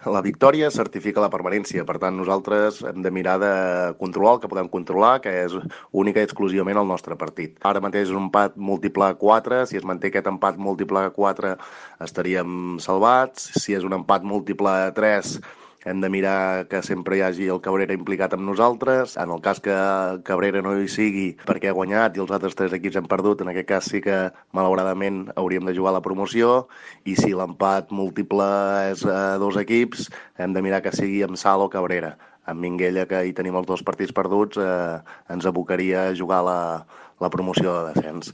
La victòria certifica la permanència, per tant nosaltres hem de mirar de controlar el que podem controlar, que és única i exclusivament el nostre partit. Ara mateix és un empat múltiple 4, si es manté aquest empat múltiple 4 estaríem salvats, si és un empat múltiple 3 hem de mirar que sempre hi hagi el Cabrera implicat amb nosaltres. En el cas que Cabrera no hi sigui perquè ha guanyat i els altres 3 equips hem perdut, en aquest cas sí que malauradament hauríem de jugar la promoció, i si l'empat múltiple és 2 equips, hem de mirar que sigui amb Sal o Cabrera. Amb Minguella, que hi tenim els 2 partits perduts, ens abocaria a jugar la promoció de descens.